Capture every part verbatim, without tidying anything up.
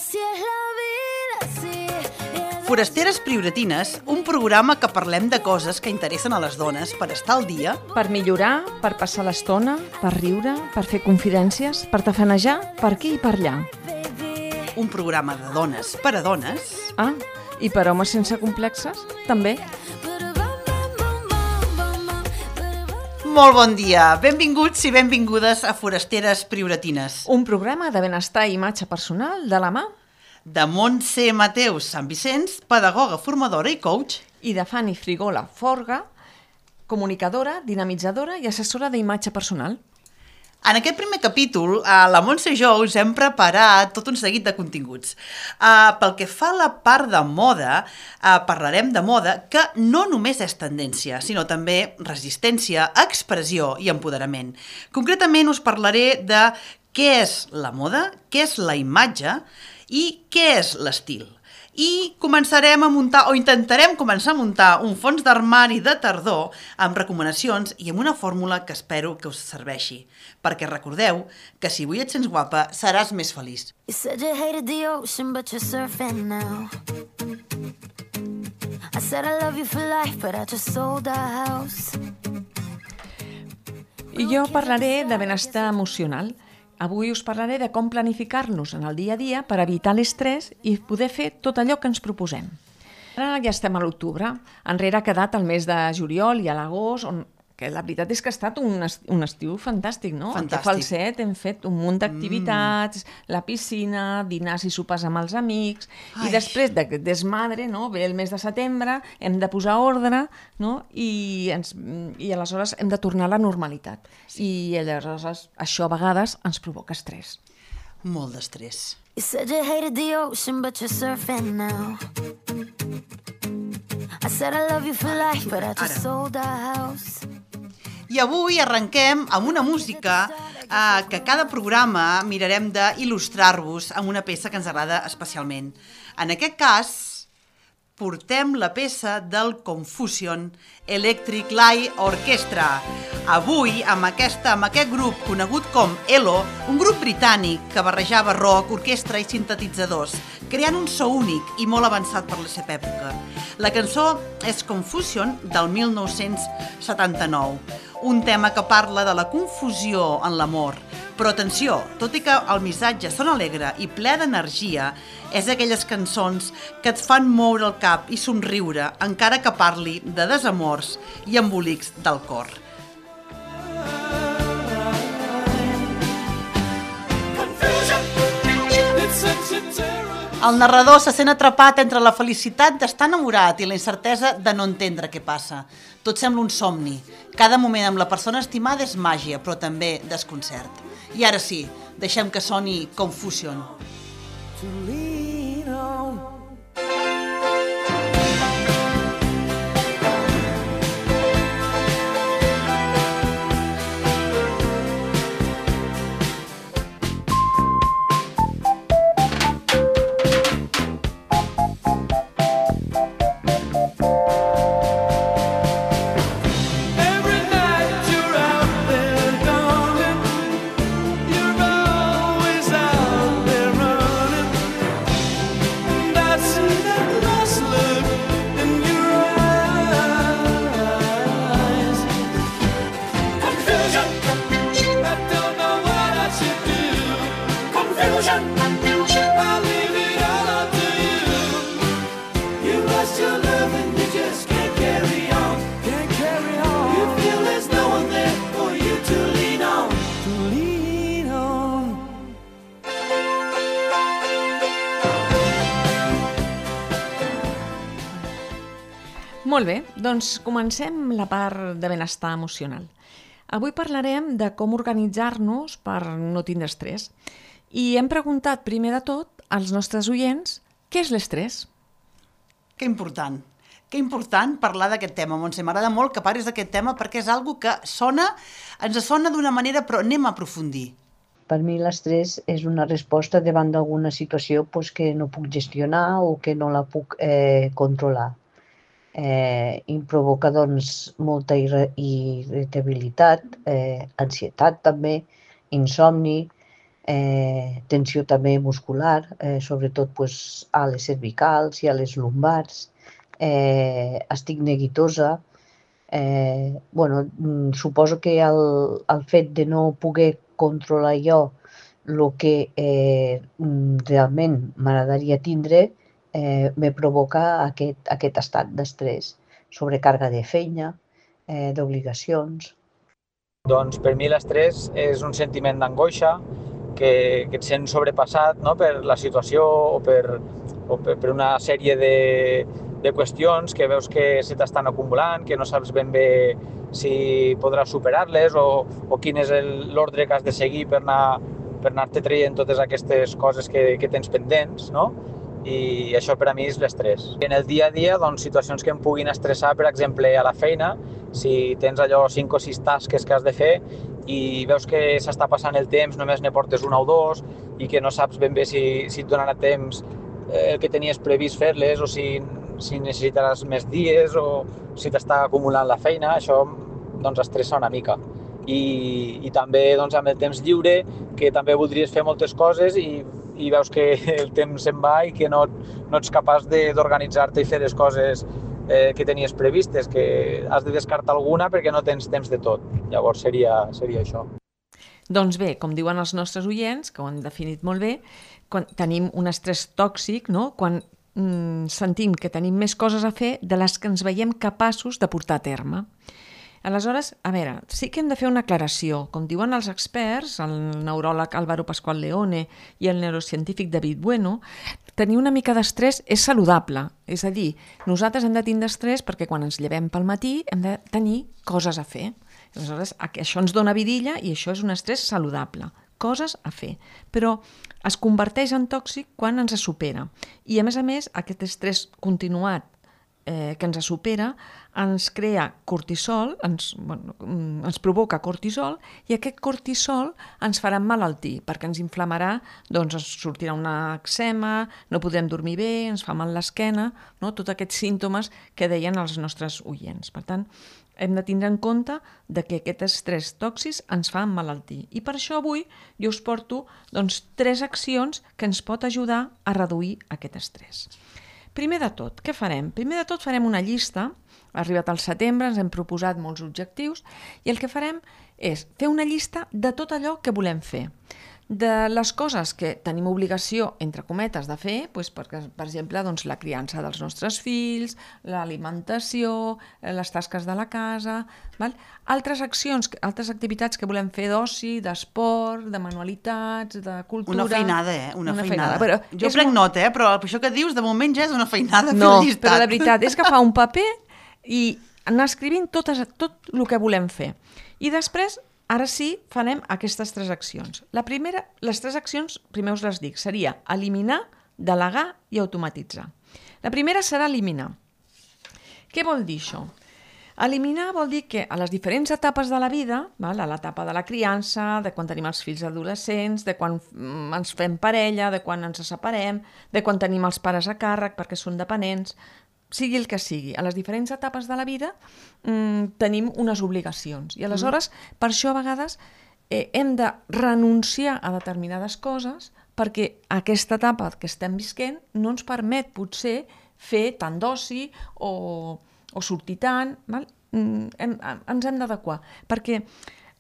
Así es la vida, así es. Forasteres Prioratines, un programa que parlem de coses que interessen a les dones per estar al dia, Per millorar, per passar l'estona, per riure, per fer confidències, per tafanejar, per aquí i per allà. un programa de dones per a dones. Ah, i per homes sense complexes, també. Molt bon dia, benvinguts i benvingudes a Forasteres Prioratines. Un programa de benestar i imatge personal de la mà De Montse Mateus Sant Vicenç, pedagoga, formadora i coach. i de Fanny Frigola Forga, comunicadora, dinamitzadora i assessora d'imatge personal. En aquest primer capítol, a la Montse i jo us hem preparat tot un seguit de continguts. Uh, pel que fa a la part de moda, uh, parlarem de moda que no només és tendència, sinó també resistència, expressió i empoderament. Concretament us parlaré de què és la moda, què és la imatge i què és l'estil. I començarem a muntar, o intentarem començar a muntar, un fons d'armari de tardor amb recomanacions i amb una fórmula que espero que us serveixi. Perquè recordeu que si avui et sents guapa, seràs més feliç. You said you hated the ocean, but you're surfing now. I said I love you for life, but I just sold our house. I jo parlaré de benestar emocional. Avui us parlaré de com planificar-nos en el dia a dia per evitar l'estrès i poder fer tot allò que ens proposem. Ara ja estem a l'octubre, enrere ha quedat el mes de juliol i a l'agost, on que la veritat és que ha estat un, est un estiu fantàstic, no? Fantàstic. Al Falset hem fet un munt d'activitats, mm. la piscina, dinars i sopars amb els amics, Ai. i després d'aquest desmadre, no? Ve el mes de setembre, hem de posar ordre, no? I, ens, i aleshores hem de tornar a la normalitat. Sí. I aleshores això a vegades ens provoca estrès. Molt d'estrès. You said you hated the ocean, but you're surfing now. I said I love you for life, but I just Ara. sold our house. I avui arrenquem amb una música eh, que cada programa mirarem d'il·lustrar-vos amb una peça que ens agrada especialment. En aquest cas, portem la peça del Confusion Electric Light Orchestra. Avui, amb, aquesta, amb aquest grup conegut com ELO, un grup britànic que barrejava rock, orquestra i sintetitzadors, creant un so únic i molt avançat per la seva època. La cançó és Confusion del mil nou-cents setanta-nou, un tema que parla de la confusió en l'amor. Però atenció, tot i que el missatge sona alegre i ple d'energia, és d'aquelles cançons que et fan moure el cap i somriure, encara que parli de desamors i embolics del cor. El narrador se sent atrapat entre la felicitat d'estar enamorat i la incertesa de no entendre què passa. Tot sembla un somni. Cada moment amb la persona estimada és màgia, però també desconcert. I ara sí, deixem que soni Confusion. Molt bé, doncs comencem la part de benestar emocional. Avui parlarem de com organitzar-nos per no tindre estrès. I hem preguntat primer de tot als nostres oients què és l'estrès. Que important. Que important parlar d'aquest tema, Montse. M'agrada molt que parlis d'aquest tema perquè és algo que sona, ens sona d'una manera, però anem a aprofundir. Per mi l'estrès és una resposta davant d'alguna situació pues, que no puc gestionar o que no la puc eh, controlar. Eh, em provoca doncs, molta irritabilitat, eh, ansietat també, insomni, eh, tensió també muscular, eh, sobretot pues, a les cervicals i a les lumbars, eh, estic neguitosa. Eh, bueno, suposo que el, el fet de no poder controlar jo el que eh, realment m'agradaria tindre eh, me provoca aquest, aquest estat d'estrès, sobrecàrrega de feina, eh, d'obligacions. Doncs per mi l'estrès és un sentiment d'angoixa, que, que et sents sobrepassat, no?, per la situació o per, o per, per una sèrie de, de qüestions que veus que se t'estan acumulant, que no saps ben bé si podràs superar-les o, o quin és l'ordre que has de seguir per anar per anar-te traient totes aquestes coses que, que tens pendents, no? I això per a mi és l'estrès. En el dia a dia, doncs, situacions que em puguin estressar, per exemple, a la feina, si tens allò cinc o sis tasques que has de fer i veus que s'està passant el temps, només ne portes una o dos i que no saps ben bé si, si et donarà temps el que tenies previst fer-les o si, si necessitaràs més dies o si t'està acumulant la feina, això doncs estressa una mica. I, i també doncs, amb el temps lliure, que també voldries fer moltes coses i, i veus que el temps se'n va i que no, no ets capaç d'organitzar-te i fer les coses eh, que tenies previstes, que has de descartar alguna perquè no tens temps de tot. Llavors seria, seria això. Doncs bé, com diuen els nostres oients, que ho han definit molt bé, quan tenim un estrès tòxic, no? Quan mm, sentim que tenim més coses a fer de les que ens veiem capaços de portar a terme. Aleshores, a veure, sí que hem de fer una aclaració. Com diuen els experts, el neuròleg Álvaro Pascual Leone i el neurocientífic David Bueno, tenir una mica d'estrès és saludable. És a dir, nosaltres hem de tindre estrès perquè quan ens llevem pel matí hem de tenir coses a fer. Aleshores, això ens dona vidilla i això és un estrès saludable. Coses a fer. Però es converteix en tòxic quan ens supera. I a més a més, aquest estrès continuat eh, que ens supera ens crea cortisol, ens, bueno, ens provoca cortisol i aquest cortisol ens farà emmalaltir perquè ens inflamarà, doncs ens sortirà una eczema, no podrem dormir bé, ens fa mal l'esquena, no? Tots aquests símptomes que deien els nostres oients. Per tant, hem de tindre en compte de que aquest estrès tòxic ens fa emmalaltir. I per això avui jo us porto doncs, tres accions que ens pot ajudar a reduir aquest estrès. Primer de tot, què farem? Primer de tot farem una llista. Ha arribat al setembre, ens hem proposat molts objectius i el que farem és fer una llista de tot allò que volem fer. De les coses que tenim obligació, entre cometes, de fer, doncs per, per exemple, doncs, la criança dels nostres fills, l'alimentació, les tasques de la casa, val? Altres accions, altres activitats que volem fer d'oci, d'esport, de manualitats, de cultura... Una feinada, eh? Una, una feinada. feinada. Però jo prenc molt... nota, eh? Però això que dius, de moment ja és una feinada no, fer llistat. No, però de veritat, és agafar un paper i anar escrivint tot, tot el que volem fer. I després, ara sí, farem aquestes tres accions. La primera, les tres accions, primer us les dic, seria eliminar, delegar i automatitzar. La primera serà eliminar. Què vol dir això? Eliminar vol dir que a les diferents etapes de la vida, val? A l'etapa de la criança, de quan tenim els fills adolescents, de quan ens fem parella, de quan ens separem, de quan tenim els pares a càrrec perquè són dependents, sigui el que sigui, a les diferents etapes de la vida mmm, tenim unes obligacions. I aleshores, mm. per això a vegades eh, hem de renunciar a determinades coses perquè aquesta etapa que estem visquent no ens permet potser fer tant d'oci o, o sortir tant. Val? Mm, hem, ens hem d'adequar. Perquè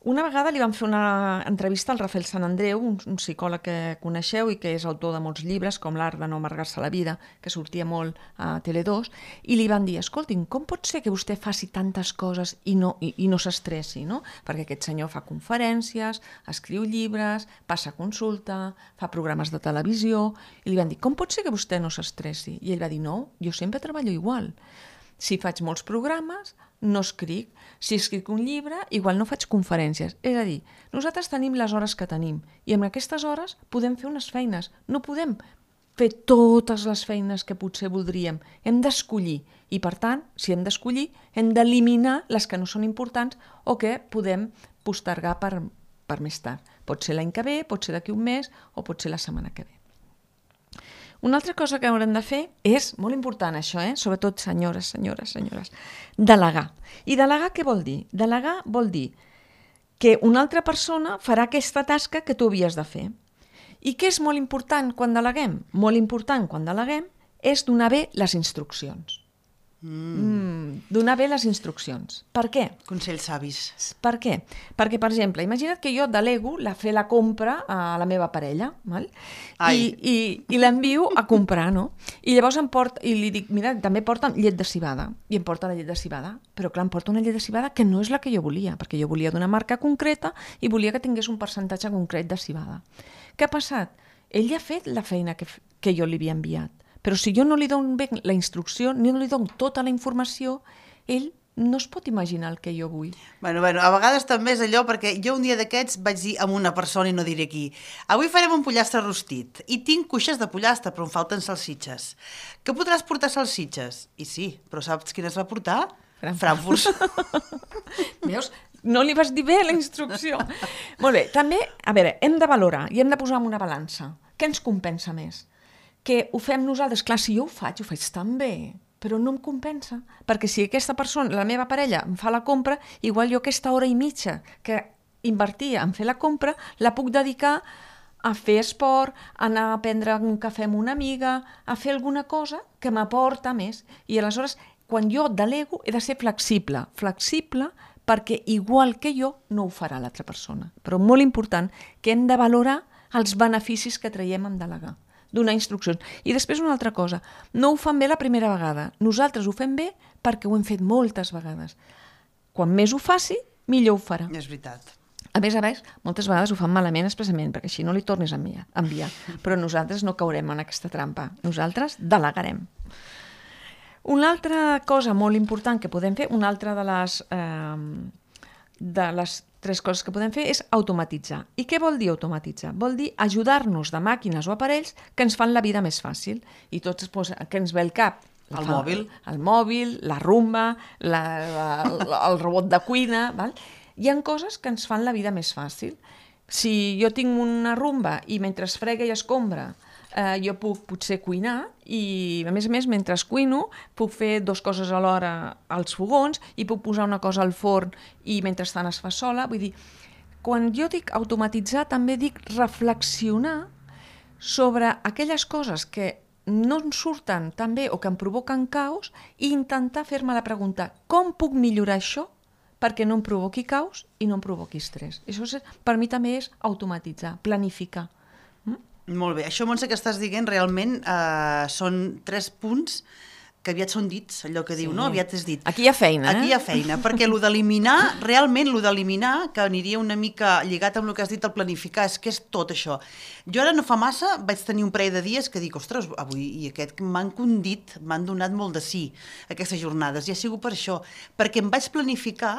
una vegada li vam fer una entrevista al Rafael Sant Andreu, un, un psicòleg que coneixeu i que és autor de molts llibres, com L'art de no amargar-se la vida, que sortia molt a Tele dos, i li van dir, escolti'm, com pot ser que vostè faci tantes coses i no, i, i no s'estressi, no? Perquè aquest senyor fa conferències, escriu llibres, passa consulta, fa programes de televisió, i li van dir, com pot ser que vostè no s'estressi? I ell va dir, no, jo sempre treballo igual. Si faig molts programes, no escric. Si escric un llibre, igual no faig conferències. És a dir, nosaltres tenim les hores que tenim i en aquestes hores podem fer unes feines. No podem fer totes les feines que potser voldríem. Hem d'escollir i, per tant, si hem d'escollir, hem d'eliminar les que no són importants o que podem postergar per, per més tard. Pot ser l'any que ve, pot ser d'aquí un mes o pot ser la setmana que ve. Una altra cosa que haurem de fer és, molt important això, eh? Sobretot senyores, senyores, senyores, delegar. I delegar què vol dir? Delegar vol dir que una altra persona farà aquesta tasca que tu havies de fer. I què és molt important quan deleguem? Molt important quan deleguem és donar bé les instruccions. Mm. Mm, donar bé les instruccions. Per què? Consells savis. Per què? Perquè, per exemple, imagina't que jo delego la fer la compra a la meva parella, val? I, i, i l'envio a comprar, no? I llavors em porta, i li dic, mira, també porten llet de civada, i em porta la llet de civada, però clar, em porta una llet de civada que no és la que jo volia, perquè jo volia d'una marca concreta i volia que tingués un percentatge concret de civada. Què ha passat? Ell ja ha fet la feina que, que jo li havia enviat. Però si jo no li dono bé la instrucció, ni no li dono tota la informació, ell no es pot imaginar el que jo vull. Bueno, bueno, a vegades també és allò, perquè jo un dia d'aquests vaig dir a una persona, i no diré qui, avui farem un pollastre rostit, i tinc cuixes de pollastre, però em falten salsitxes. Que podràs portar salsitxes? I sí, però saps quines va portar? Frankfurts. Veus? No li vas dir bé la instrucció. Molt bé, també, a veure, hem de valorar i hem de posar en una balança. Què ens compensa més? Que ho fem nosaltres, clar, si jo ho faig, ho faig tan bé, però no em compensa, perquè si aquesta persona, la meva parella, em fa la compra, igual jo aquesta hora i mitja que invertia en fer la compra, la puc dedicar a fer esport, a anar a prendre un cafè amb una amiga, a fer alguna cosa que m'aporta més. I aleshores, quan jo delego, he de ser flexible, flexible perquè igual que jo no ho farà l'altra persona. Però molt important que hem de valorar els beneficis que traiem en delegar, donar instruccions. I després una altra cosa, no ho fan bé la primera vegada, nosaltres ho fem bé perquè ho hem fet moltes vegades. Quan més ho faci, millor ho farà. És veritat. A més a més, moltes vegades ho fan malament expressament, perquè així no li tornis a enviar, enviar. Però nosaltres no caurem en aquesta trampa, nosaltres delegarem. Una altra cosa molt important que podem fer, una altra de les, eh, de les tres coses que podem fer és automatitzar. I què vol dir automatitzar? Vol dir ajudar-nos de màquines o aparells que ens fan la vida més fàcil. I tots doncs, que ens ve el cap. El fa, mòbil. El mòbil, la rumba, la, la, el robot de cuina. Val? Hi ha coses que ens fan la vida més fàcil. Si jo tinc una rumba i mentre es frega i escombra eh, jo puc potser cuinar i a més a més mentre cuino puc fer dues coses alhora als fogons i puc posar una cosa al forn i mentrestant es fa sola. Vull dir, quan jo dic automatitzar també dic reflexionar sobre aquelles coses que no en surten tan bé o que em provoquen caos i intentar fer-me la pregunta, com puc millorar això perquè no em provoqui caos i no em provoqui estrès. Això és, per mi també és automatitzar, planificar. Molt bé. Això, Montse, que estàs dient, realment eh, són tres punts que aviat són dits, allò que diu, sí. No? Aviat és dit. Aquí hi ha feina, eh? Aquí hi ha feina, perquè el d'eliminar, realment el d'eliminar, que aniria una mica lligat amb el que has dit, el planificar, és que és tot això. Jo ara no fa massa vaig tenir un parell de dies que dic, ostres, avui i aquest m'han condit, m'han donat molt de sí, aquestes jornades, i ha sigut per això, perquè em vaig planificar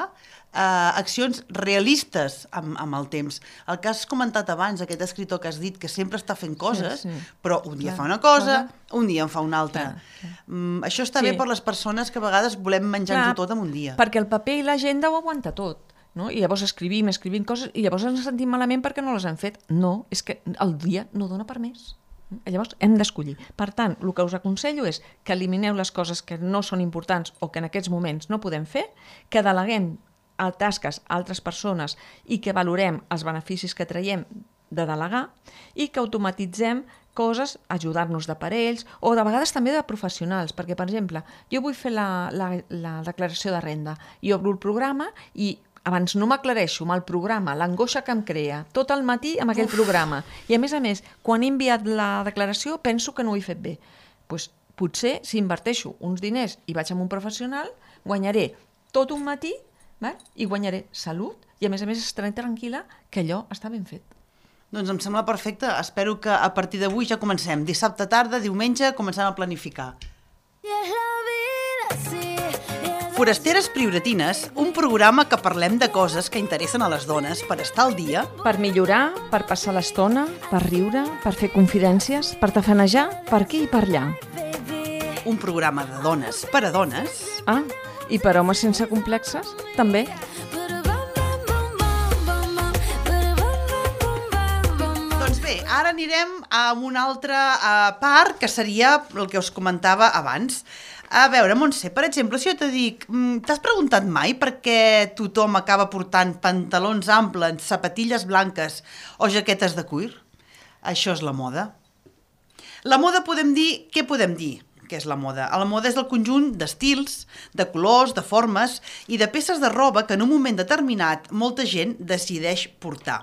eh, accions realistes amb, amb el temps. El que has comentat abans, aquest escriptor que has dit que sempre està fent coses, sí, sí. Però un dia clar, fa una cosa, clar. Un dia en fa una altra. Clar, mm, això està sí. bé per les persones que a vegades volem menjar-nos tot en un dia. Perquè el paper i l'agenda ho aguanta tot. No? I llavors escrivim, escrivim coses i llavors ens sentim malament perquè no les hem fet. No, és que el dia no dona per més. Llavors hem d'escollir. Per tant, el que us aconsello és que elimineu les coses que no són importants o que en aquests moments no podem fer, que deleguem a tasques a altres persones i que valorem els beneficis que traiem de delegar i que automatitzem coses, ajudar-nos d'aparells o de vegades també de professionals, perquè, per exemple, jo vull fer la, la, la declaració de renda i obro el programa i abans no m'aclareixo amb el programa, l'angoixa que em crea, tot el matí amb aquell Uf. programa. I a més a més, quan he enviat la declaració penso que no ho he fet bé. Pues, potser, si inverteixo uns diners i vaig amb un professional, guanyaré tot un matí val? I guanyaré salut i a més a més estaré tranquil·la que allò està ben fet. Doncs em sembla perfecte. Espero que a partir d'avui ja comencem. Dissabte tarda, diumenge, començant a planificar. Forasteres Prioratines, un programa que parlem de coses que interessen a les dones per estar al dia. Per millorar, per passar l'estona, per riure, per fer confidències, per tafanejar, per aquí i per allà. Un programa de dones per a dones. Ah, i per homes sense complexes, també. Doncs bé, ara anirem a una altra uh, part que seria el que us comentava abans. A veure, Montse, per exemple, si jo te dic, t'has preguntat mai per què tothom acaba portant pantalons amples, sapatilles blanques o jaquetes de cuir? Això és la moda. La moda podem dir... Què podem dir que és la moda? La moda és el conjunt d'estils, de colors, de formes i de peces de roba que en un moment determinat molta gent decideix portar.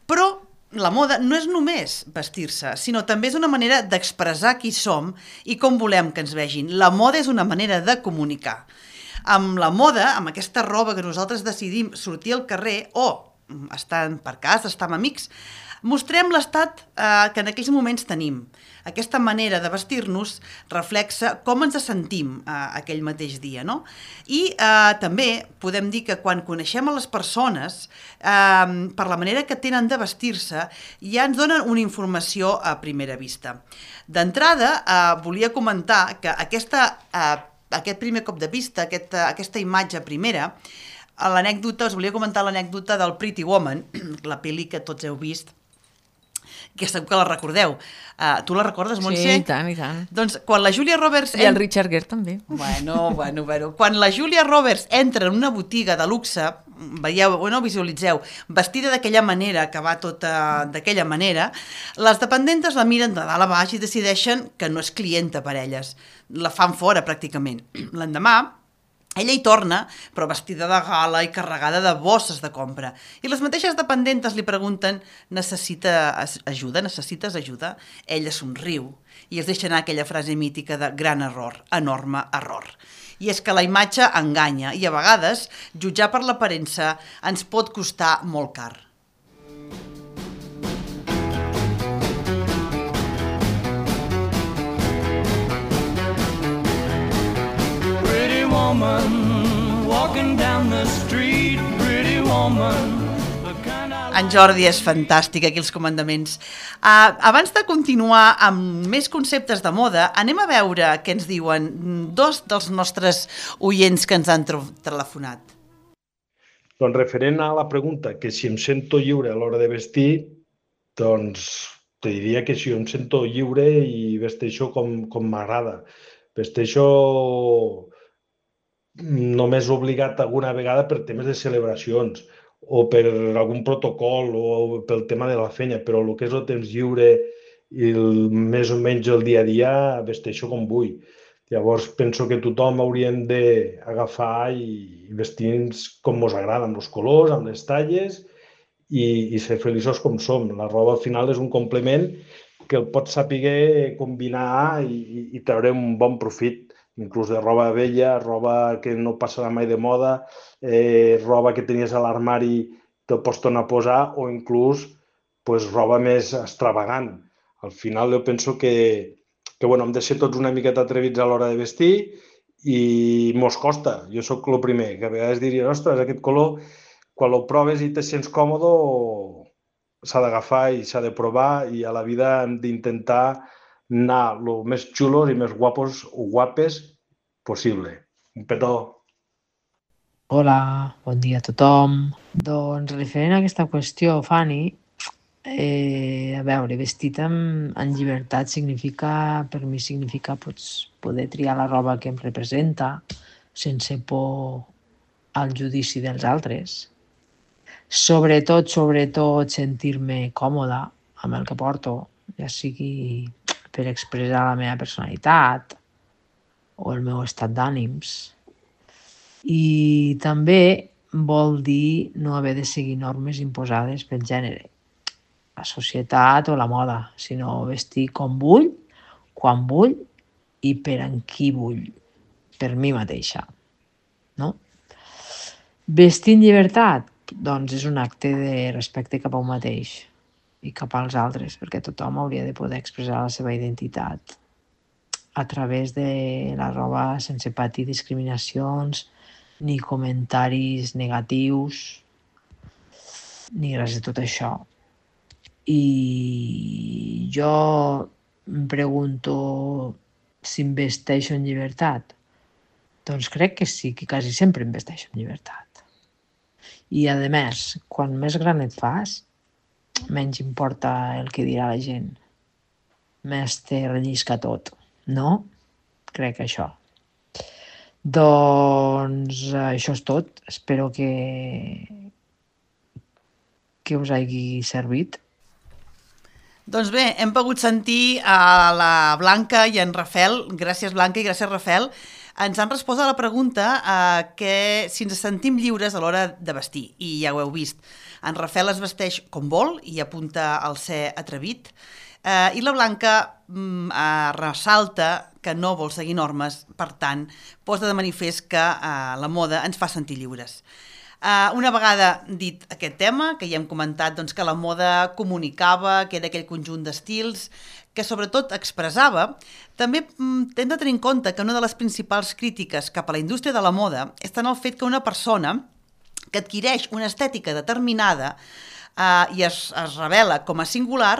Però la moda no és només vestir-se, sinó també és una manera d'expressar qui som i com volem que ens vegin. La moda és una manera de comunicar. Amb la moda, amb aquesta roba que nosaltres decidim sortir al carrer o estar per casa, estar amb amics, mostrem l'estat eh, que en aquells moments tenim. Aquesta manera de vestir-nos reflexa com ens sentim eh, aquell mateix dia, no? I eh, també podem dir que quan coneixem a les persones, eh, per la manera que tenen de vestir-se, ja ens donen una informació a primera vista. D'entrada, eh, volia comentar que aquesta, eh, aquest primer cop de vista, aquesta, aquesta imatge primera, l'anècdota, us volia comentar l'anècdota del Pretty Woman, la pel·li que tots heu vist, que segur que la recordeu. Uh, tu la recordes, Montse? Sí, i tant, i tant. Doncs quan la Julia Roberts... I el Richard Gere també. Bueno, bueno, bueno. Quan la Julia Roberts entra en una botiga de luxe, veieu, bueno, visualitzeu, vestida d'aquella manera, que va tota d'aquella manera, les dependentes la miren de dalt a baix i decideixen que no és clienta per elles. La fan fora, pràcticament. L'endemà, ella hi torna, però vestida de gala i carregada de bosses de compra. I les mateixes dependentes li pregunten: necessita ajuda? Necessites ajuda? Ella somriu i es deixa anar aquella frase mítica de gran error, enorme error. I és que la imatge enganya i a vegades jutjar per l'aparença ens pot costar molt car. Woman, walking down the street, pretty woman. En Jordi és fantàstic, aquí els comandaments. Uh, abans de continuar amb més conceptes de moda, anem a veure què ens diuen dos dels nostres oients que ens han telefonat. Doncs referent a la pregunta, que si em sento lliure a l'hora de vestir, doncs te diria que si em sento lliure i vesteixo com, com m'agrada. Vesteixo només obligat alguna vegada per temes de celebracions o per algun protocol o pel tema de la feina, però el que és el temps lliure i el, més o menys el dia a dia vesteixo com vull. Llavors penso que tothom hauríem d'agafar i vestir-nos com ens agrada, amb els colors, amb les talles i, i ser feliços com som. La roba al final és un complement que el pots saber combinar i, i treure un bon profit. Inclús de roba vella, roba que no passarà mai de moda, eh, roba que tenies a l'armari te'l pots tornar a posar o inclús pues, roba més extravagant. Al final jo penso que, que bueno, hem de ser tots una miqueta atrevits a l'hora de vestir i mos costa. Jo sóc el primer, que a vegades diria, ostres, aquest color, quan el proves i te sents còmode, s'ha d'agafar i s'ha de provar i a la vida hem d'intentar anar el més xulos i més guapos o guapes possible. Un petó. Hola, bon dia a tothom. Doncs referent a aquesta qüestió, Fanny, eh, a veure, vestit en, en llibertat significa, per mi significa pues, poder triar la roba que em representa sense por al judici dels altres. Sobretot, sobretot, sentir-me còmoda amb el que porto, ja sigui per expressar la meva personalitat o el meu estat d'ànims. I també vol dir no haver de seguir normes imposades pel gènere, la societat o la moda, sinó vestir com vull, quan vull i per en qui vull, per mi mateixa. No? Vestir en llibertat, doncs és un acte de respecte cap a un mateix i cap als altres, perquè tothom hauria de poder expressar la seva identitat a través de la roba sense patir discriminacions, ni comentaris negatius, ni res de tot això. I jo em pregunto si em vesteixo en llibertat. Doncs crec que sí, que quasi sempre em vesteixo en llibertat. I a més, quan més gran et fas, menys importa el que dirà la gent. Més te rellisca tot, no? Crec que això. Doncs això és tot. Espero que, que us hagi servit. Doncs bé, hem pogut sentir a la Blanca i en Rafel, gràcies Blanca i gràcies Rafel, ens han respost a la pregunta eh, que si ens sentim lliures a l'hora de vestir, i ja ho heu vist. En Rafel es vesteix com vol i apunta al ser atrevit, eh, i la Blanca mm, eh, ressalta que no vol seguir normes, per tant, posa de manifest que eh, la moda ens fa sentir lliures. Uh, una vegada dit aquest tema, que ja hem comentat doncs, que la moda comunicava, que era aquell conjunt d'estils, que sobretot expressava, també mm, hem de tenir en compte que una de les principals crítiques cap a la indústria de la moda està en el fet que una persona que adquireix una estètica determinada uh, i es, es revela com a singular,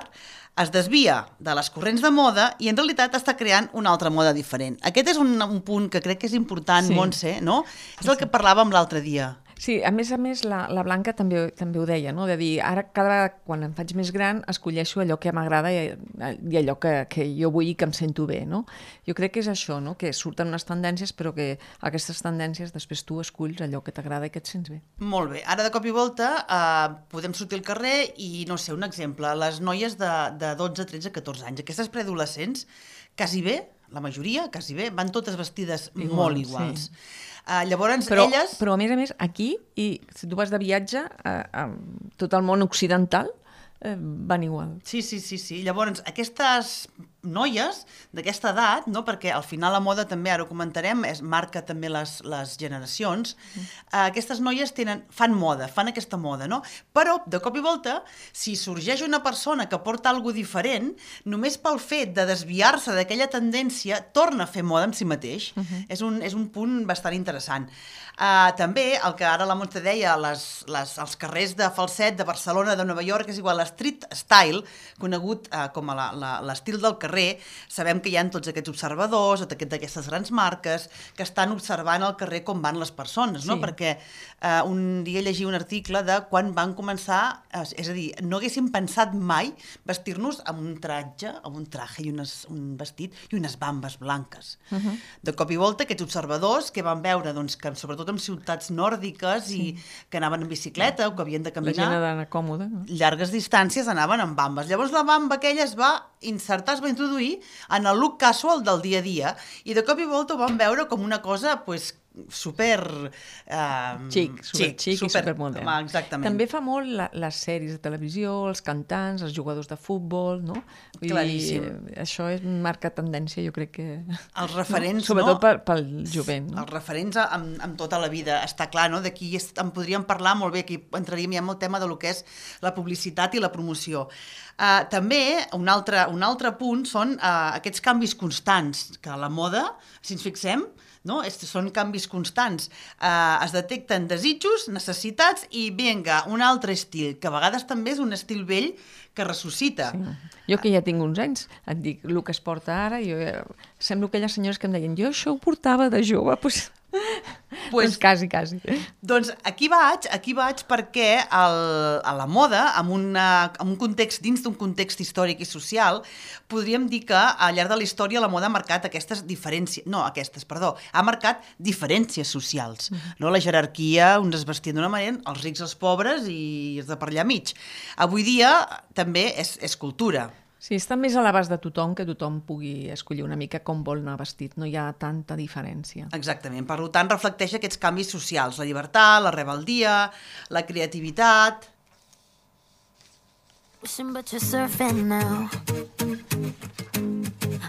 es desvia de les corrents de moda i en realitat està creant una altra moda diferent. Aquest és un, un punt que crec que és important, sí. Montse, no? És el que parlàvem l'altre dia. Sí, a més a més, la, la Blanca també, també ho deia, no? De dir, ara cada vegada, quan em faig més gran, escolleixo allò que m'agrada i, i allò que, que jo vull i que em sento bé, no? Jo crec que és això, no? Que surten unes tendències, però que aquestes tendències després tu esculls allò que t'agrada i que et sents bé. Molt bé. Ara, de cop i volta, eh, podem sortir al carrer i, no sé, un exemple, les noies de, de dotze, tretze, catorze anys, aquestes preadolescents, quasi bé, la majoria, quasi bé, van totes vestides Igual, molt iguals. Sí. Uh, llavors, però, elles... Però, a més a més, aquí, i si tu vas de viatge, uh, uh, tot el món occidental eh, van igual. Sí, sí, sí, sí. Llavors, aquestes noies d'aquesta edat, no? Perquè al final la moda també, ara ho comentarem, es marca també les, les generacions, mm. uh, aquestes noies tenen, fan moda, fan aquesta moda, no? Però, de cop i volta, si sorgeix una persona que porta alguna diferent, només pel fet de desviar-se d'aquella tendència, torna a fer moda en si mateix. Mm-hmm. És, un, és un punt bastant interessant. Uh, també, el que ara la Montse deia, les, les, els carrers de Falset, de Barcelona, de Nova York, és igual, l'street style, conegut uh, com a la, la, l'estil del carrer, sabem que hi ha tots aquests observadors, tots aquestes grans marques, que estan observant al carrer com van les persones, no? Sí. Perquè uh, un dia llegia un article de quan van començar, uh, és a dir, no haguéssim pensat mai vestir-nos amb un tratge, amb un traje i unes, un vestit i unes bambes blanques. Uh-huh. De cop i volta, aquests observadors que van veure, doncs, que sobretot en ciutats nòrdiques sí. i que anaven en bicicleta o que havien de caminar... La gent ha d'anar còmoda. No? Llargues distàncies anaven amb bambes. Llavors la bamba aquella es va insertar, es va introduir en el look casual del dia a dia i de cop i volta ho van veure com una cosa, pues, super... Uh, xic, super xic super, i supermodern. Exactament. També fa molt la, les sèries de televisió, els cantants, els jugadors de futbol, no? Vull Claríssim. dir, això és marca tendència, jo crec que... Els referents, no? Sobretot no? Per, pel jovent. No? Els referents amb, amb tota la vida, està clar, no? D'aquí en podríem parlar molt bé, aquí entraríem ja en el tema de lo que és la publicitat i la promoció. Uh, també, un altre, un altre punt són uh, aquests canvis constants, que a la moda, si ens fixem, no? Es, són canvis constants. Uh, es detecten desitjos, necessitats i, vinga, un altre estil, que a vegades també és un estil vell que ressuscita. Sí. Jo que ja tinc uns anys, et dic, el que es porta ara, jo, sembla aquelles senyores que em deien, jo això ho portava de jove, doncs... Pues, doncs quasi, quasi. Doncs aquí vaig, aquí vaig perquè el, a la moda, en, una, en un context, dins d'un context històric i social, podríem dir que al llarg de la història la moda ha marcat aquestes diferències, no, aquestes, perdó, ha marcat diferències socials. Mm-hmm. No? La jerarquia, uns es vestien d'una manera, els rics, els pobres i els de per allà mig. Avui dia també és, és cultura. Sí, està més a l'abast de tothom que tothom pugui escollir una mica com vol anar vestit. No hi ha tanta diferència. Exactament. Per tant, reflecteix aquests canvis socials. La llibertat, la rebeldia, la creativitat... But you're surfing now.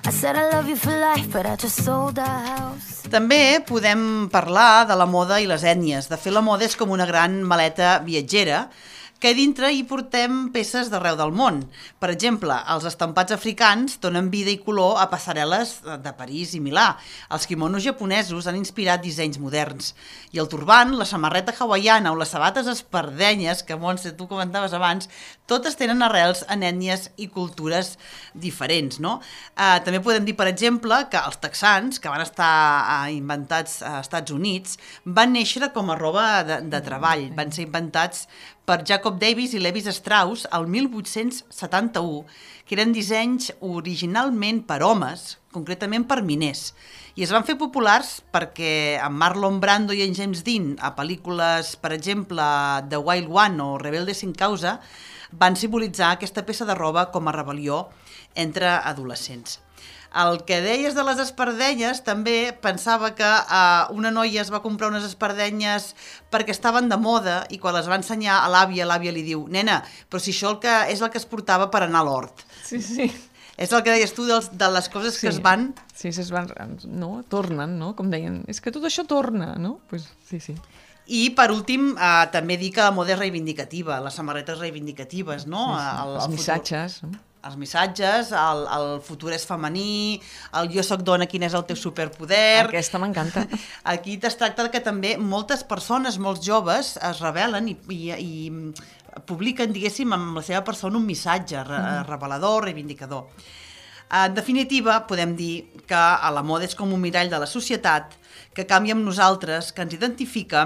I said I love you for life, but I just sold our house. També podem parlar de la moda i les ètnies. De fet, la moda és com una gran maleta viatgera que dintre hi portem peces d'arreu del món. Per exemple, els estampats africans donen vida i color a passarel·les de París i Milà. Els quimonos japonesos han inspirat dissenys moderns. I el turban, la samarreta hawaiana o les sabates espardenyes, que, Montse, tu comentaves abans, totes tenen arrels en ètnies i cultures diferents, no? Eh, també podem dir, per exemple, que els texans, que van estar eh, inventats als Estats Units, van néixer com a roba de, de treball. Van ser inventats per Jacob Davis i Levi Strauss el mil vuit-cents setanta-u, que eren dissenys originalment per homes, concretament per miners. I es van fer populars perquè en Marlon Brando i en James Dean, a pel·lícules, per exemple, The Wild One o Rebelde sin causa, van simbolitzar aquesta peça de roba com a rebel·lió entre adolescents. El que deies de les espardenyes, també pensava que uh, una noia es va comprar unes espardenyes perquè estaven de moda i quan les va ensenyar a l'àvia, l'àvia li diu: nena, però si això el que és el que es portava per anar a l'hort. Sí, sí. És el que deies tu dels, de les coses sí. que es van... Sí, es van, no? Tornen, no? Com deien, és que tot això torna, no? Pues, sí, sí. I, per últim, eh, també dir que la moda és reivindicativa, les samarretes reivindicatives, no? Sí, sí. El, el Els missatges. Futur, els missatges, el, el futur és femení, el jo soc dona, quin és el teu superpoder... Aquesta m'encanta. Aquí es tracta que també moltes persones, molts joves, es rebel·len i, i, i publiquen, diguéssim, amb la seva persona un missatge re, mm. revelador, reivindicador. En definitiva, podem dir que la moda és com un mirall de la societat que canvia amb nosaltres, que ens identifica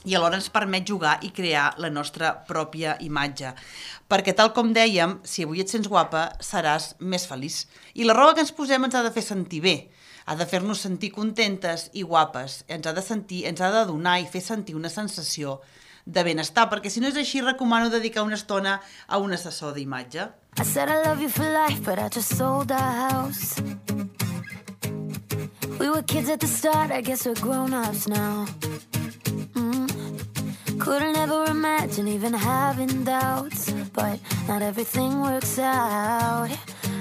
i alhora ens permet jugar i crear la nostra pròpia imatge. Perquè, tal com dèiem, si avui et sents guapa, seràs més feliç. I la roba que ens posem ens ha de fer sentir bé, ha de fer-nos sentir contentes i guapes, ens ha de sentir, ens ha de donar i fer sentir una sensació de benestar, perquè si no és així, recomano dedicar una estona a un assessor d'imatge. I said I love you for life, but I just sold our house. We were kids at the start, I guess we're grown-ups now. Mm. Couldn't ever imagine even having doubts, but not everything works out.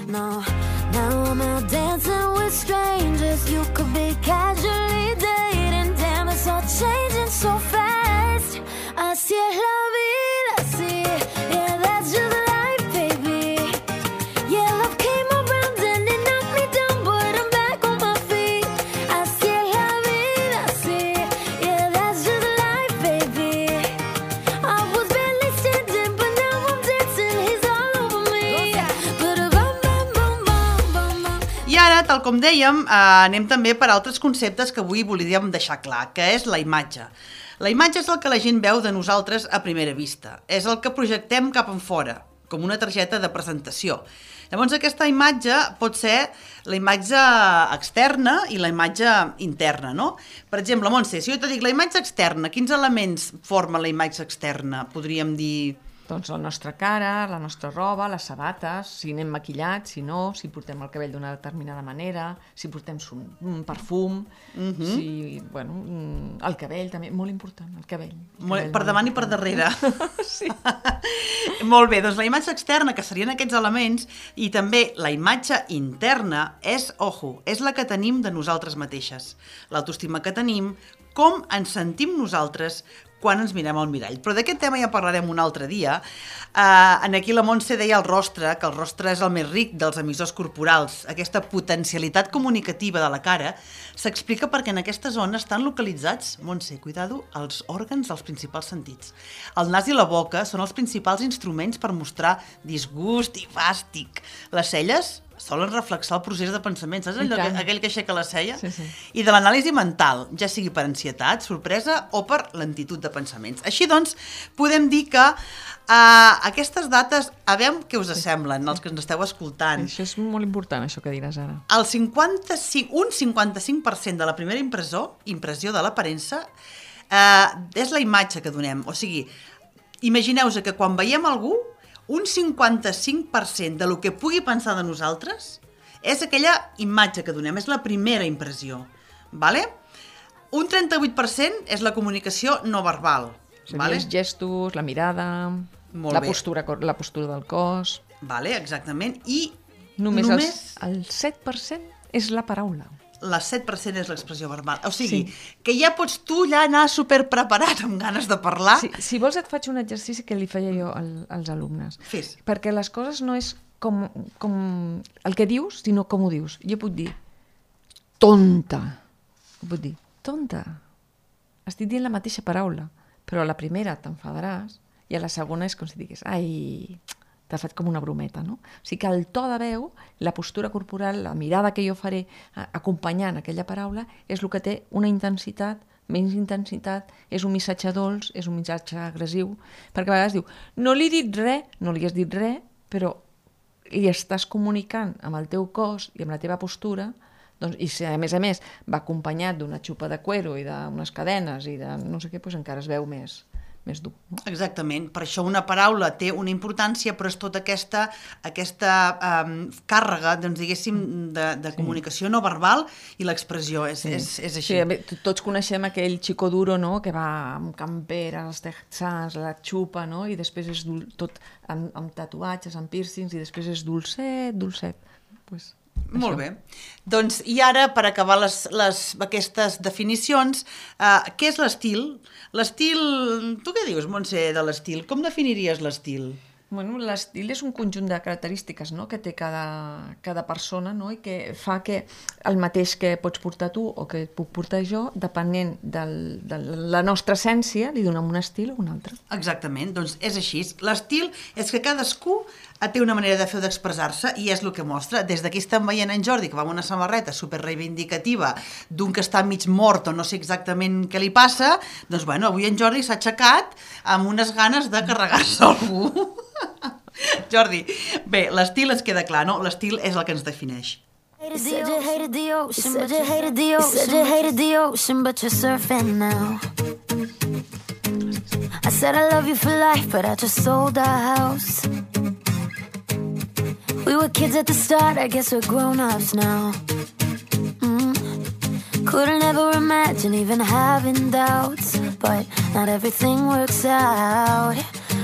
No, now I'm out dancing with strangers. You could be casually dating. Damn, it's all changing so fast. Así es la vida, así, yeah, that's just life, baby. Yeah, love came around and it knocked me down, but I'm back on my feet. Así es la vida, así, yeah, that's just life, baby. I was barely standing, but now I'm dancing, he's all over me. I ara, tal com dèiem, eh, anem també per altres conceptes que avui volíem deixar clar, que és la imatge. La imatge és el que la gent veu de nosaltres a primera vista. És el que projectem cap enfora, com una targeta de presentació. Llavors, aquesta imatge pot ser la imatge externa i la imatge interna, no? Per exemple, Montse, si jo te dic la imatge externa, quins elements forma la imatge externa? Podríem dir... Doncs la nostra cara, la nostra roba, les sabates, si anem maquillats, si no, si portem el cabell d'una determinada manera, si portem un perfum, uh-huh. si, bueno, el cabell també, molt important, el cabell. El molt, cabell per davant i per darrere. Sí. Molt bé, doncs la imatge externa, que serien aquests elements, i també la imatge interna és, ojo, és la que tenim de nosaltres mateixes. L'autoestima que tenim, com ens sentim nosaltres quan ens mirem al mirall. Però d'aquest tema ja parlarem un altre dia. Uh, en aquí la Montse deia el rostre, que el rostre és el més ric dels emissors corporals. Aquesta potencialitat comunicativa de la cara s'explica perquè en aquesta zona estan localitzats, Montse, cuidado, els òrgans dels principals sentits. El nas i la boca són els principals instruments per mostrar disgust i fàstic. Les celles solen reflexar el procés de pensament, saps allò, aquell que aixeca la cella? Sí, sí. I de l'anàlisi mental, ja sigui per ansietat, sorpresa o per lentitud de pensaments. Així doncs, podem dir que uh, aquestes dates, a veure què us semblen, els que ens esteu escoltant. Això és molt important, això que diràs ara. El cinquanta-cinc, un cinquanta-cinc per cent de la primera impressió, impressió de l'aparença, uh, és la imatge que donem. O sigui, imagineu-vos que quan veiem algú, un cinquanta-cinc per cent de lo que pugui pensar de nosaltres és aquella imatge que donem, és la primera impressió. Vale? Un trenta-vuit per cent és la comunicació no verbal. O sigui, vale? Els gestos, la mirada, Molt la bé. postura, la postura del cos... Vale, exactament. I només, només... El, el set per cent és la paraula. El set per cent és l'expressió verbal. O sigui, sí. que ja pots tu ja anar superpreparat amb ganes de parlar. Sí, si vols et faig un exercici que li feia jo al, als alumnes. Fes. Perquè les coses no és com, com el que dius, sinó com ho dius. Jo puc dir tonta. Puc dir tonta. Estic dient la mateixa paraula, però a la primera t'enfadaràs i a la segona és com si digués ai... t'ha fet com una brometa, no? O sigui que el to de veu, la postura corporal, la mirada que jo faré acompanyant aquella paraula, és el que té una intensitat, menys intensitat, és un missatge dolç, és un missatge agressiu, perquè a vegades diu, no li he dit res, no li has dit res, però li estàs comunicant amb el teu cos i amb la teva postura, doncs, i si a més a més va acompanyat d'una xupa de cuero i d'unes cadenes i de no sé què, doncs encara es veu més, més dur. No? Exactament, per això una paraula té una importància, però és tota aquesta, aquesta um, càrrega, doncs, diguéssim, de, de comunicació no verbal i l'expressió, és, sí. és, és així. Sí, tots coneixem aquell chico duro, no?, que va amb camperes, texans, la xupa, no?, i després és dul... tot amb, amb tatuatges, amb piercings, i després és dolcet, dolcet. Pues, molt bé. Doncs, i ara, per acabar les, les, aquestes definicions, uh, què és l'estil? L'estil... Tu què dius, Montse, de l'estil? Com definiries l'estil? Bueno, l'estil és un conjunt de característiques, no?, que té cada, cada persona, no?, i que fa que el mateix que pots portar tu o que puc portar jo, depenent del, de la nostra essència, li donem un estil o un altre. Exactament, doncs és així. L'estil és que cadascú té una manera de fer o d'expressar-se i és el que mostra. Des d'aquí estem veient en Jordi, que va amb una samarreta super reivindicativa d'un que està mig mort o no sé exactament què li passa, doncs bueno, avui en Jordi s'ha aixecat amb unes ganes de carregar-se algú. Jordi, bé, l'estil ens queda clar, no? L'estil és el que ens defineix. You said you hated the ocean, but you hated the ocean, you said you hated the ocean, but you're surfing now. I said I love you for life, but I just sold our house. We were kids at the start, I guess we're grown-ups now. Mm. Couldn't ever imagine even having doubts, but not everything works out.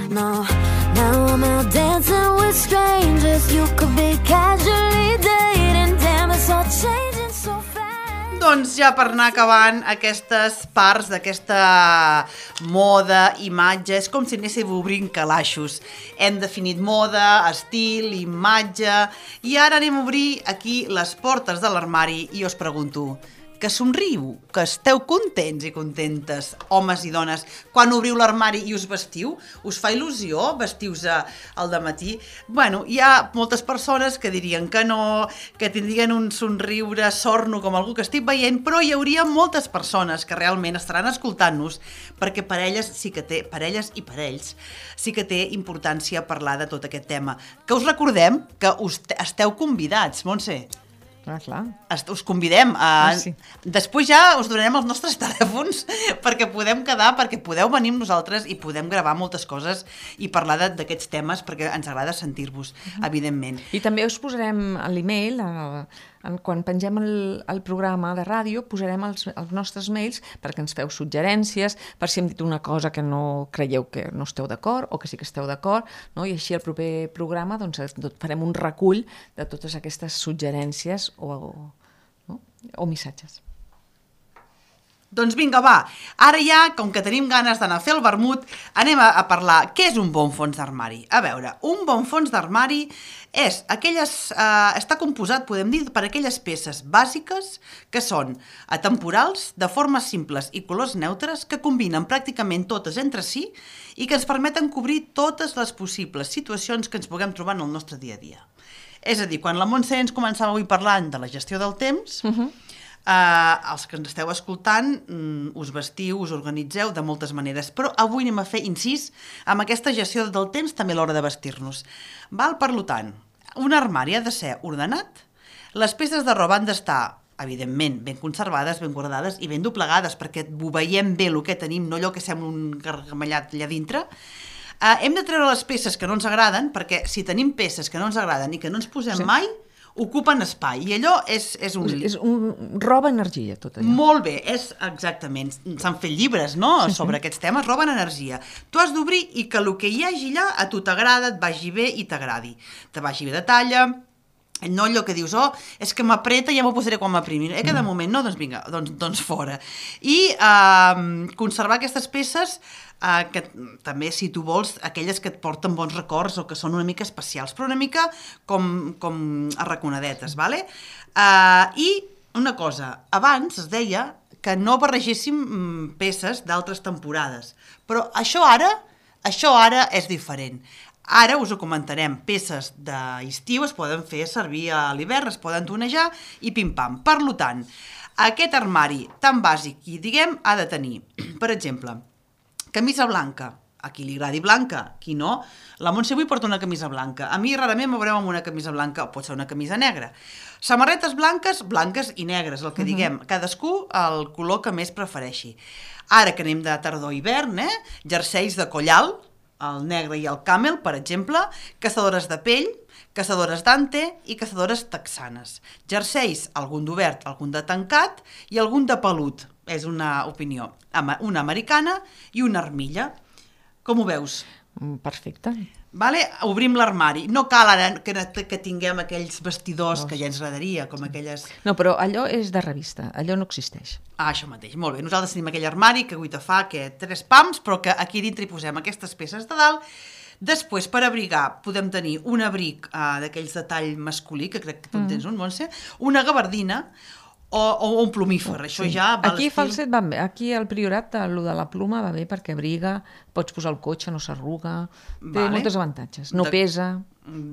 No, now I'm out dancing with strangers. You could be casually dating, damn, it's all changing so fast. Doncs ja per anar acabant aquestes parts d'aquesta moda, imatge, és com si anéssim obrint calaixos. Hem definit moda, estil, imatge, i ara anem a obrir aquí les portes de l'armari i us pregunto, que somriu, que esteu contents i contentes, homes i dones, quan obriu l'armari i us vestiu? Us fa il·lusió vestiu-vos al dematí? Bueno, hi ha moltes persones que dirien que no, que tindrien un somriure sorno com algú que estic veient, però hi hauria moltes persones que realment estaran escoltant-nos, perquè per elles sí que té, per elles i per ells, sí que té importància parlar de tot aquest tema. Que us recordem que us esteu convidats, Montse. Clar, clar. Us convidem a... Ah, sí. Després ja us donarem els nostres telèfons perquè podem quedar, perquè podeu venir amb nosaltres i podem gravar moltes coses i parlar d'aquests temes perquè ens agrada sentir-vos, uh-huh. evidentment. I també us posarem a l'email, quan pengem el, el programa de ràdio, posarem els, els nostres mails perquè ens feu suggerències, per si hem dit una cosa que no creieu que no esteu d'acord o que sí que esteu d'acord, no? I així al proper programa doncs, farem un recull de totes aquestes suggerències o, no? o missatges. Doncs vinga, va, ara ja, com que tenim ganes d'anar a fer el vermut, anem a, a parlar què és un bon fons d'armari. A veure, un bon fons d'armari és aquelles, eh, està composat, podem dir, per aquelles peces bàsiques que són atemporals, de formes simples i colors neutres, que combinen pràcticament totes entre si i que ens permeten cobrir totes les possibles situacions que ens puguem trobar en el nostre dia a dia. És a dir, quan la Montse ens començava avui parlant de la gestió del temps, uh-huh. Uh, els que ens esteu escoltant um, us vestiu, us organitzeu de moltes maneres, però avui anem a fer incís amb aquesta gestió del temps també a l'hora de vestir-nos. Val? Per tant, un armari ha de ser ordenat, les peces de roba han d'estar, evidentment, ben conservades, ben guardades i ben doblegades perquè ho veiem bé el que tenim, no allò que sembla un gargamellat allà dintre. Uh, hem de treure les peces que no ens agraden perquè si tenim peces que no ens agraden i que no ens posem sí. mai, ocupen espai, i allò és, és un... És un... roba energia, tot allò. Molt bé, és exactament. S'han fet llibres, no?, sí, sobre sí. aquests temes, roben energia. Tu has d'obrir i que el que hi hagi allà a tu t'agrada, et vagi bé i t'agradi. Te vagi bé de talla, no allò que dius, oh, és que m'apreta i ja m'ho posaré quan m'aprimi. Eh, que de moment no, doncs vinga, doncs, doncs fora. I eh, conservar aquestes peces Uh, que també, si tu vols, aquelles que et porten bons records o que són una mica especials, però una mica com, com arraconadetes, vale? Uh, I una cosa, abans es deia que no barregéssim peces d'altres temporades, però això ara, això ara és diferent. Ara us ho comentarem, peces d'estiu es poden fer servir a l'hivern, es poden tonejar i pim-pam. Per tant, aquest armari tan bàsic i diguem ha de tenir, per exemple, camisa blanca, a qui li agradi blanca, qui no. La Montse avui porta una camisa blanca. A mi rarament m'ho veureu amb una camisa blanca, o pot ser una camisa negra. Samarretes blanques, blanques i negres, el que uh-huh. diguem. Cadascú el color que més prefereixi. Ara que anem de tardor-hivern, eh? Jerseis de coll alt, el negre i el camel, per exemple, caçadores de pell, caçadores d'ante i caçadores texanes. Jerseis, algun d'obert, algun de tancat i algun de pelut. És una opinió. Una americana i una armilla. Com ho veus? Perfecte. Vale? Obrim l'armari. No cal ara que, que tinguem aquells vestidors no. que ja ens agradaria, com aquelles... No, però allò és de revista, allò no existeix. Ah, això mateix, molt bé. Nosaltres tenim aquell armari que guita fa que tres pams, però que aquí dintre hi posem aquestes peces de dalt. Després, per abrigar, podem tenir un abric uh, d'aquells de tall masculí, que crec que tu en tens un, Montse, una gabardina, O, o un plumífer, això sí. ja va aquí falset va bé, aquí al Priorat el de la pluma va bé perquè abriga, pots posar el cotxe, no s'arruga, té vale. moltes avantatges, no de... pesa.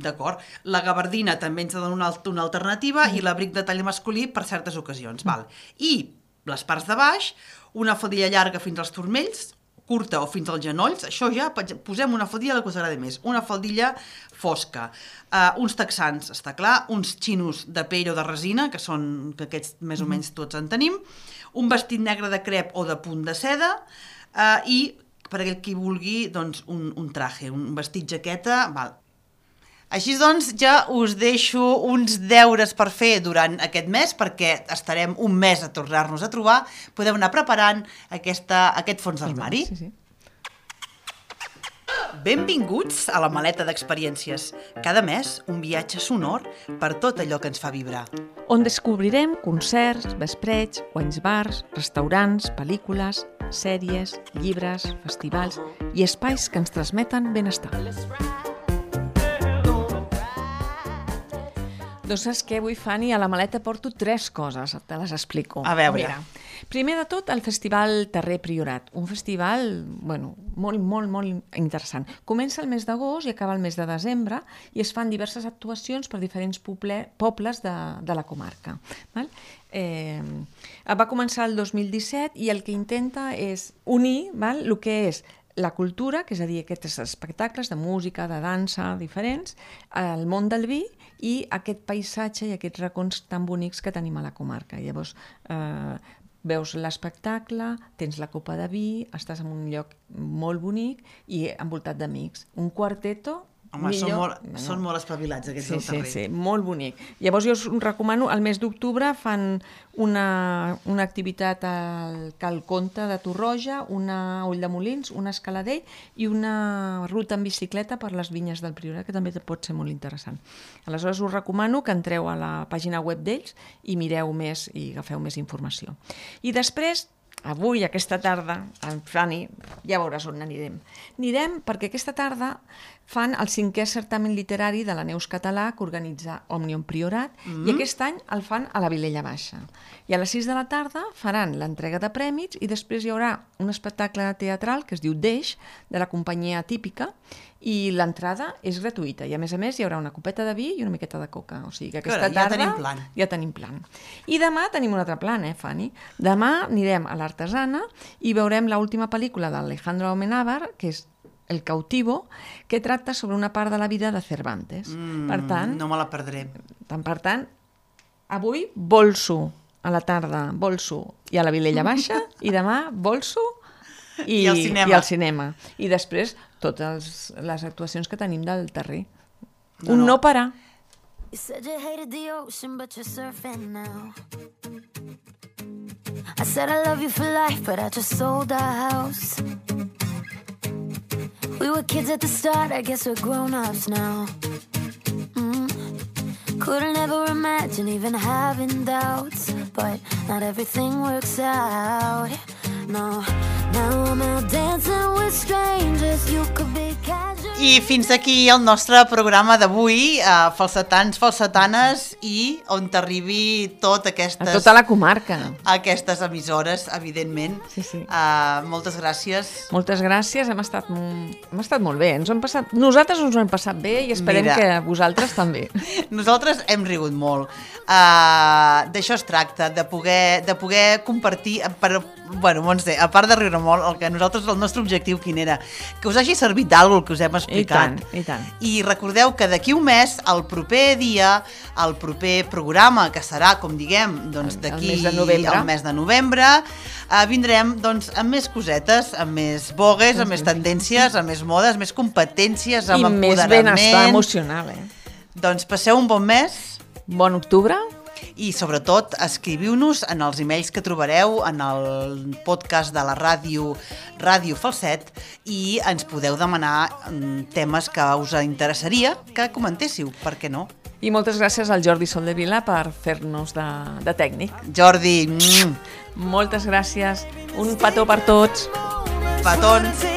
D'acord, la gabardina també ens dona una, una alternativa mm. i l'abric de tall masculí per certes ocasions. Mm. Val. I les parts de baix, una faldilla llarga fins als turmells, curta o fins als genolls, això ja posem una faldilla que us agrada més, una faldilla fosca, uh, uns texans, està clar, uns xinos de pell o de resina, que són, que aquests més o menys tots en tenim, un vestit negre de crep o de punt de seda, uh, i per aquell qui vulgui, doncs, un, un traje, un vestit jaqueta, val. Així doncs, ja us deixo uns deures per fer durant aquest mes, perquè estarem un mes a tornar-nos a trobar. Podeu anar preparant aquesta, aquest fons d'armari. Sí, sí. Benvinguts a la maleta d'experiències. Cada mes, un viatge sonor per tot allò que ens fa vibrar. On descobrirem concerts, vespreig, wines bars, restaurants, pel·lícules, sèries, llibres, festivals i espais que ens transmeten benestar. Doncs saps què, avui, Fanny, a la maleta porto tres coses, te les explico. A veure. Mira, primer de tot, el Festival Terrer Priorat, un festival, bueno, molt, molt, molt interessant. Comença el mes d'agost i acaba el mes de desembre i es fan diverses actuacions per diferents poble, pobles de, de la comarca. Val? Eh, va començar el dos mil disset i el que intenta és unir, val, el que és la cultura, que és a dir, aquests espectacles de música, de dansa, diferents, el món del vi i aquest paisatge i aquests racons tan bonics que tenim a la comarca. Llavors, eh, veus l'espectacle, tens la copa de vi, estàs en un lloc molt bonic i envoltat d'amics. Un quarteto... Home, són molt, no. són molt espavilats aquests sí, del terrer. Sí, sí, molt bonic. Llavors jo us recomano, al mes d'octubre fan una, una activitat al Cal Comte de Torroja, una Ulldemolins, una Escaladell i una ruta en bicicleta per les vinyes del Priorat, que també pot ser molt interessant. Aleshores us recomano que entreu a la pàgina web d'ells i mireu més i agafeu més informació. I després, avui, aquesta tarda, en Fanny, ja veuràs on anirem. Anirem perquè aquesta tarda fan el cinquè certamen literari de la Neus Català que organitza Òmnium Priorat mm. i aquest any el fan a la Vilella Baixa. I a les sis de la tarda faran l'entrega de prèmits i després hi haurà un espectacle teatral que es diu Deix, de la companyia Típica, i l'entrada és gratuïta i a més a més hi haurà una copeta de vi i una miqueta de coca. O sigui que aquesta Carai, ja tarda tenim plan. ja tenim plan. I demà tenim un altre plan, eh, Fanny? Demà anirem a l'Artesana i veurem l'última pel·lícula d'Alejandro Amenábar, que és El cautivo, que tracta sobre una part de la vida de Cervantes. Mm, per tant, no me la perdré. Tant, per tant, avui bolso a la tarda, bolso i a la Vilella Baixa, i demà bolso i, I, al cinema. i al cinema. I després totes les actuacions que tenim del terrer. No, un no, no parar. You said you hated the ocean, but you're surfing now. I said I love you for life, but I just sold our house. We were kids at the start, I guess we're grown-ups now. Mm. Couldn't ever imagine even having doubts, but not everything works out. No, now I'm out dancing with strangers, you could be casual. I fins aquí el nostre programa d'avui, uh, falsetans, falsetanes, i on t'arribi tot aquestes... A tota la comarca. Aquestes emissores, evidentment. Sí, sí. Uh, moltes gràcies. Moltes gràcies, hem estat, hem estat molt bé. Ens hem passat, nosaltres ens ho hem passat bé i esperem Mira. que vosaltres també. Nosaltres hem rigut molt. Uh, D'això es tracta, de poder, de poder compartir... Per, Bueno, Montse, a part de riure molt, el que nosaltres, el nostre objectiu quin era? Que us hagi servit d'algú el que us hem explicat. I tant, i tant. I recordeu que d'aquí un mes, el proper dia, el proper programa, que serà, com diguem, doncs d'aquí el mes de novembre, el mes de novembre eh, vindrem doncs, amb més cosetes, amb més bogues, amb més tendències, amb més modes, més competències, amb I més empoderament. benestar emocional, eh? Doncs passeu un bon mes. Bon octubre. I sobretot escriviu-nos en els emails que trobareu en el podcast de la ràdio Ràdio Falset i ens podeu demanar temes que us interessaria que comentéssiu, per què no? I moltes gràcies al Jordi Soldevila per fer-nos de, de tècnic. Jordi, mm. moltes gràcies. Un petó per tots. Petons.